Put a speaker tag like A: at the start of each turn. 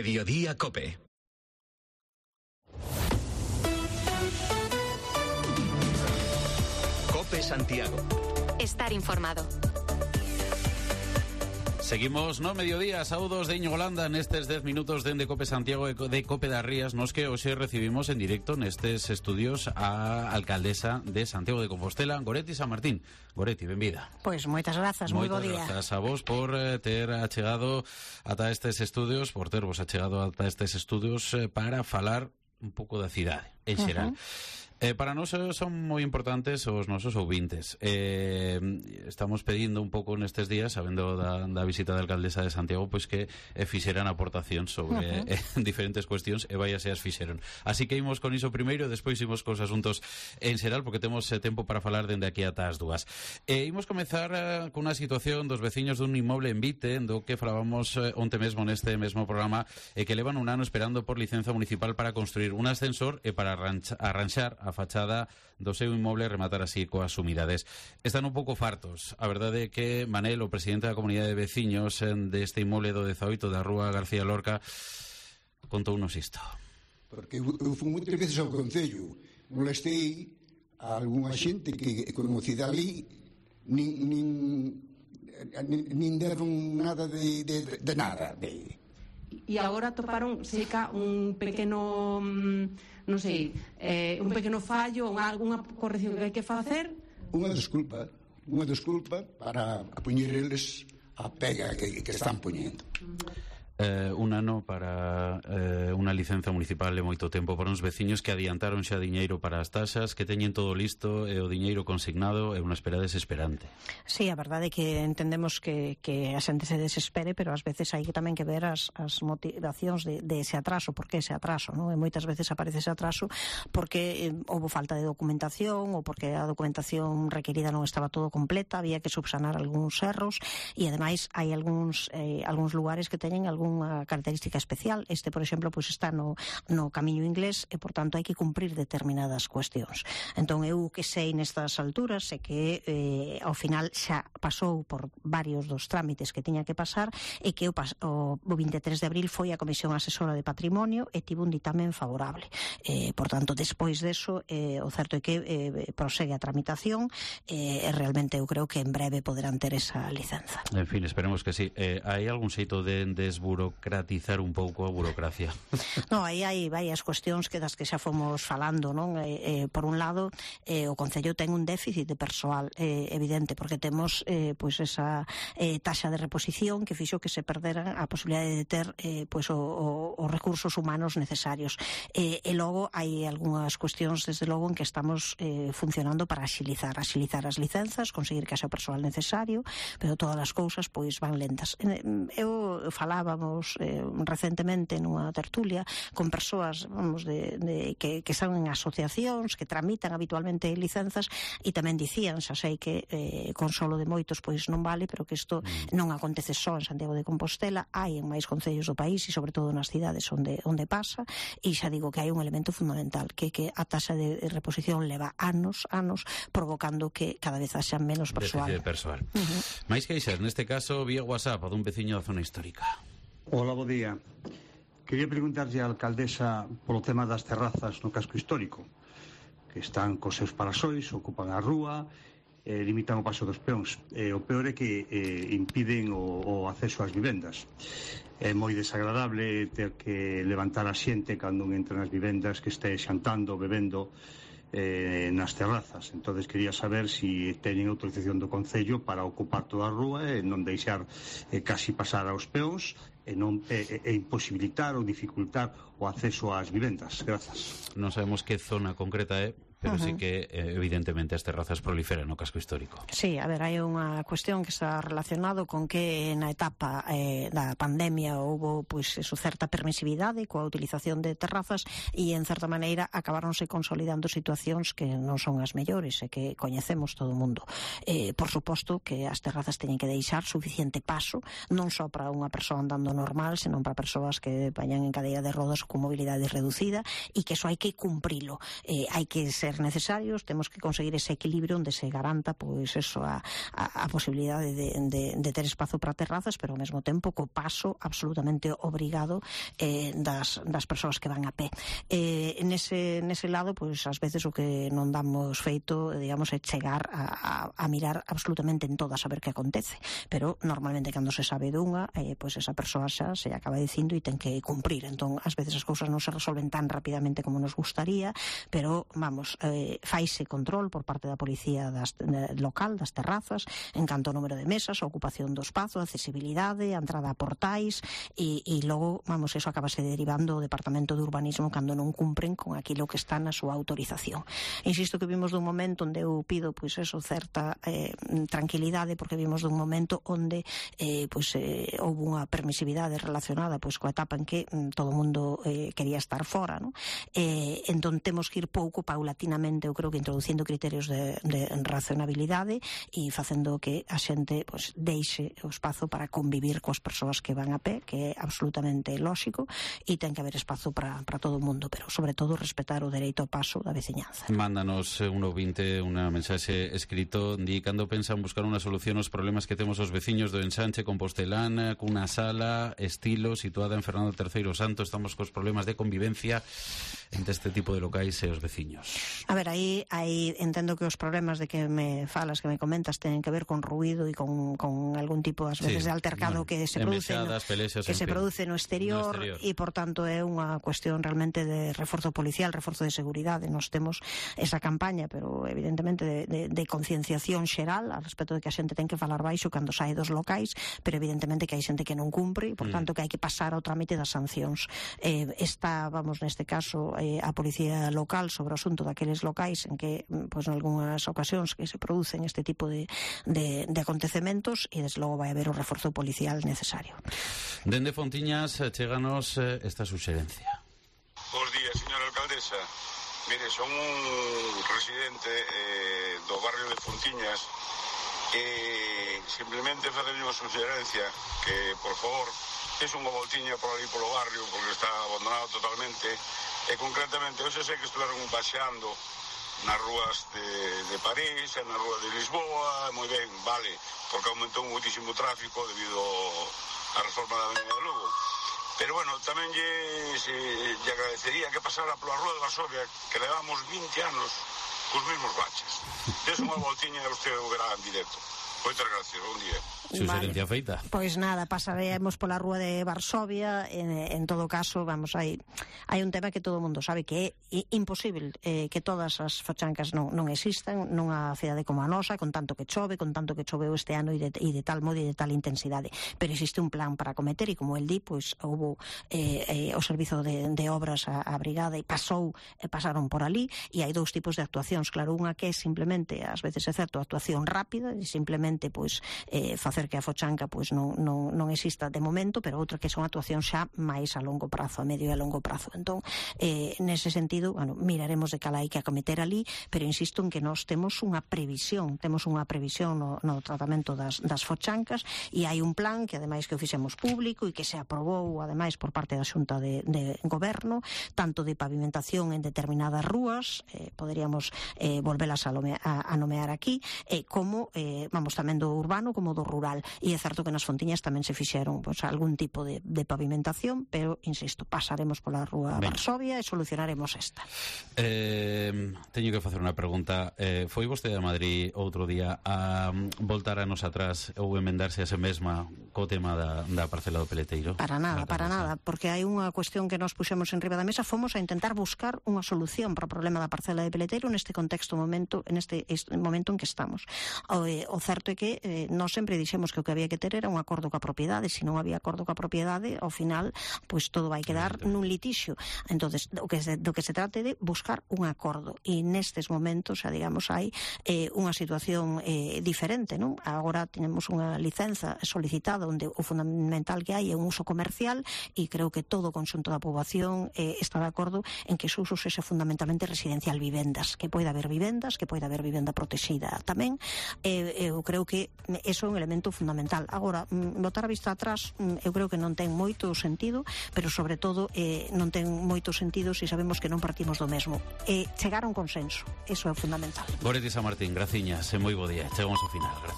A: Mediodía COPE. COPE Santiago.
B: Estar informado.
C: Seguimos no mediodía, saúdos de Íñigo Landa nestes 10 minutos dende Cope Santiago e de Cope das Rías, nos que hoxe recibimos en directo nestes estudios a alcaldesa de Santiago de Compostela, Goretti San Martín. Goretti, benvida.
B: Pois moitas grazas, moi bo día.
C: Moitas grazas a vos por ter achegado ata estes estudios, por tervos achegado ata estes estudios para falar un pouco da cidade, en xeral. Para nós son moi importantes os nosos ouvintes. Estamos pedindo un pouco nestes días, sabendo da visita da alcaldesa de Santiago, pois que fixeran aportacións sobre diferentes cuestións e vaiase as fixeron. Así que imos con iso primeiro, despois imos cos asuntos en xeral, porque temos tempo para falar dende aquí ata as dúas. Imos comezar con unha situación dos veciños dun inmoble en Vite, do que falábamos onte mesmo neste mesmo programa, que levan un ano esperando por licenza municipal para construir un ascensor e para arranxar a fachada do seu inmoble e rematar así coas umidades. Están un pouco fartos. A verdade é que Manel, o presidente da comunidade de veciños deste inmoble do 18 da rúa García Lorca, contounos isto.
D: Porque eu fui moitas veces ao Concello, molestei a algunha xente que conocida ali, nin deron nada de nada.
E: E agora toparon seca un pequeno, non sei, un pequeno fallo, algunha corrección que hai que facer.
D: Unha desculpa para poñer eles a pega que están poñendo.
C: Un ano para unha licenza municipal é moito tempo para uns veciños que adiantaron xa diñeiro para as taxas, que teñen todo listo e o diñeiro consignado é unha espera desesperante.
B: Sí, a verdade é que entendemos que a xente se desespere, pero ás veces hai que tamén que ver as motivacións de ese atraso, porque ese atraso, non? E moitas veces aparece ese atraso porque houve falta de documentación ou porque a documentación requerida non estaba todo completa, había que subsanar algúns erros e ademais hai algúns lugares que teñen unha característica especial. Este, por exemplo, pois está no camiño inglés e, por tanto, hai que cumprir determinadas cuestións. Entón, eu que sei nestas alturas é que ao final xa pasou por varios dos trámites que tiña que pasar e que o 23 de abril foi a Comisión Asesora de Patrimonio e tivo un ditamen favorable. Por tanto, despois deso, o certo é que prosegue a tramitación e realmente eu creo que en breve poderán ter esa licenza.
C: En fin, esperemos que sí. Hai algún xeito de desburocratizar un pouco a burocracia?
B: Non, aí hai varias cuestións das que xa fomos falando, non? Por un lado, o Concello ten un déficit de persoal evidente, porque temos pois esa taxa de reposición que fixo que se perderan a posibilidade de ter pois os recursos humanos necesarios. E logo hai algunhas cuestións, desde logo, en que estamos funcionando para axilizar as licenzas, conseguir que haxa o persoal necesario, pero todas as cousas pois van lentas. Eu falábamos recentemente nunha tertulia con persoas, vamos, que están en asociacións que tramitan habitualmente licenzas e tamén dicían, xa sei que consolo de moitos pois non vale, pero que isto non acontece só en Santiago de Compostela, hai en máis concellos do país e sobre todo nas cidades onde pasa, e xa digo que hai un elemento fundamental, que a taxa de reposición leva anos provocando que cada vez haxa menos persoal.
C: Mais queixas, neste caso vía WhatsApp dun veciño da zona histórica.
F: Hola, bo día. Quería preguntarlle á alcaldesa polo tema das terrazas no casco histórico, que están cos seus parasois, ocupan a rúa, limitan o paso dos peóns. O peor é que impiden o acceso ás vivendas. É moi desagradable ter que levantar a xente cando entra nas vivendas que este xantando, bebendo nas terrazas. Entonces quería saber si teñen autorización do Concello para ocupar toda a rúa e non deixar casi pasar aos peóns e imposibilitar ou dificultar o acceso ás vivendas. Grazas.
C: Non sabemos que zona concreta é, pero sí que evidentemente as terrazas proliferan no casco histórico.
B: Sí, a ver, hai unha cuestión que está relacionado con que na etapa da pandemia houbo pois certa permisividade coa utilización de terrazas e en certa maneira acabáronse consolidando situacións que non son as mellores e que coñecemos todo o mundo. Por suposto que as terrazas teñen que deixar suficiente paso, non só para unha persoa andando normal, senón para persoas que vayan en cadeira de rodas con mobilidade reducida, e que eso hai que cumprilo. Hai que ser ser necesarios, temos que conseguir ese equilibrio onde se garanta pois eso, a posibilidade de ter espazo para terrazas, pero ao mesmo tempo co paso absolutamente obrigado das persoas que van a pé. Nese lado, pois ás veces o que non damos feito, digamos, é chegar a mirar absolutamente en todas a ver que acontece, pero normalmente cando se sabe dunha, pois esa persoa xa se acaba dicindo e ten que cumprir. Entón, ás veces as cousas non se resolven tan rapidamente como nos gustaría, pero, vamos, faise control por parte da policía local, das terrazas, en canto ao número de mesas, a ocupación do espazo, a accesibilidade, a entrada a portais, e logo, vamos, eso acabase derivando o Departamento de Urbanismo cando non cumpren con aquilo que está na súa autorización. Insisto que vimos dun momento onde eu pido, pois eso, certa tranquilidade, porque vimos dun momento onde houve unha permisividade relacionada pois coa etapa en que todo o mundo quería estar fora, non? Entón temos que ir pouco, paulatinamente, eu creo que introducindo criterios de racionabilidade e facendo que a xente pois deixe o espazo para convivir coas persoas que van a pé, que é absolutamente lóxico, e ten que haber espazo para todo o mundo, pero sobre todo respetar o dereito ao paso da veciñanza.
C: Mándanos un ouvinte unha mensaxe escrito indicando pensan buscar unha solución aos problemas que temos os veciños do Ensanche Compostelán, cunha sala estilo situada en Fernando III Santo. Estamos cos problemas de convivencia entre este tipo de locais e os veciños.
B: A ver, aí entendo que os problemas de que me falas, que me comentas, teñen que ver con ruído e con algún tipo, ás veces, de altercado que se produce no exterior, e, por tanto, é unha cuestión realmente de reforzo policial, reforzo de seguridade. Nos temos esa campaña, pero evidentemente de concienciación xeral al respecto de que a xente ten que falar baixo cando sae dos locais, pero evidentemente que hai xente que non cumpre, e, por tanto, que hai que pasar ao trámite das sancións. Está, vamos, neste caso, a policía local sobre o asunto daqueles locais en que, pois, en algunhas ocasións que se producen este tipo de acontecementos, e desde logo vai haber o reforzo policial necesario.
C: Dende Fontiñas, cheganos esta suxerencia.
G: Bos días, señora alcaldesa. Mire, son un residente do barrio de Fontiñas e simplemente facerlle unha suxerencia que, por favor, es unha voltiña por ali polo barrio porque está abandonado totalmente, e concretamente hoxe sei que estuveron paseando nas rúas de París e na rúa de Lisboa, moi ben, vale, porque aumentou muitísimo tráfico debido á reforma da Avenida de Lugo. Pero, bueno, tamén lle agradecería que pasara pola rúa de Varsovia, que levamos 20 anos cos mesmos baches. Des unha voltiña e usted o verá en directo. Moitas gracias, bom día.
C: Suxerencia feita.
B: Pois nada, pasaremos pola rúa de Varsovia. En todo caso, vamos, hai un tema que todo o mundo sabe que é imposible que todas as fochancas non existan nunha cidade como a nosa, con tanto que choveu este ano e de tal modo e de tal intensidade. Pero existe un plan para acometer, e como el di, pois houve o servizo de obras a brigada e pasaron por ali, e hai dous tipos de actuacións. Claro, unha que é simplemente, ás veces é certo, actuación rápida, e simplemente pois facer que a fochanca pois non exista de momento, pero outra que son actuacións xa máis a longo prazo, a medio e a longo prazo. Entón, nese sentido, bueno, miraremos de cal hai que acometer ali, pero insisto en que nós temos unha previsión no tratamento das fochancas, e hai un plan que ademais que o fixemos público e que se aprobou ademais por parte da Xunta de Goberno, tanto de pavimentación en determinadas rúas, poderíamos volvelas a nomear aquí, como vamos, tamén do urbano como do rural, e é certo que nas Fontiñas tamén se fixeron pois, algún tipo de pavimentación, pero, insisto, pasaremos pola rúa Varsovia e solucionaremos esta.
C: Teño que facer unha pregunta. Foi vostede a Madrid outro día a voltar anos atrás ou emendarse a se mesma co tema da parcela do Peleteiro?
B: Para nada, porque hai unha cuestión que nos puxemos en riba da mesa. Fomos a intentar buscar unha solución para o problema da parcela de Peleteiro neste momento en que estamos. O certo é que nós sempre dixemos que o que había que ter era un acordo coa propiedade. Se non había acordo coa propiedade, ao final, pois todo vai quedar nun litixio. Entonces, do que se trate de buscar un acordo. E nestes momentos, xa digamos, hai unha situación diferente, non? Agora tenemos unha licenza solicitada onde o fundamental que hai é un uso comercial, e creo que todo o conxunto da poboación está de acordo en que ese uso sexa fundamentalmente residencial, vivendas, que poida haber vivenda protexida tamén. Eu creo creo que eso é un elemento fundamental. Agora, botar a vista atrás, eu creo que non ten moito sentido, pero sobre todo non ten moito sentido se sabemos que non partimos do mesmo. Chegar a un consenso, eso é fundamental.
C: Goretti San Martín, graciñas, e moi bo día. Chegamos ao final. Gracias.